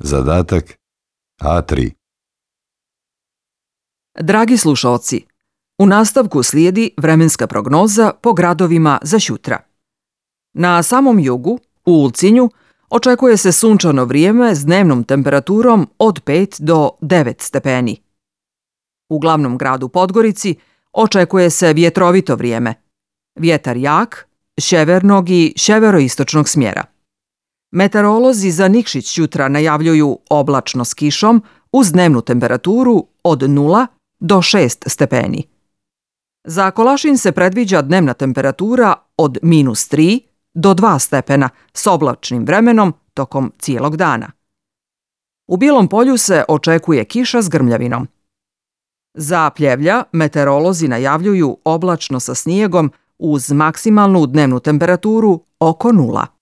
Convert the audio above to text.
Zadatak A3. Dragi slušaoci, u nastavku slijedi vremenska prognoza po gradovima za sutra. Na samom jugu, u Ulcinju, očekuje se sunčano vrijeme s dnevnom temperaturom od 5 do 9 stepeni. U glavnom gradu Podgorici očekuje se vjetrovito vrijeme. Vjetar jak, sjevernog i sjeveroistočnog smjera. Meteorolozi za Nikšić jutra najavljuju oblačno s kišom uz dnevnu temperaturu od 0 do 6 stepeni. Za Kolašin se predviđa dnevna temperatura od -3 do 2 stepena s oblačnim vremenom tokom cijelog dana. U Bijelom Polju se očekuje kiša s grmljavinom. Za Pljevlja meteorolozi najavljuju oblačno sa snijegom uz maksimalnu dnevnu temperaturu oko 0.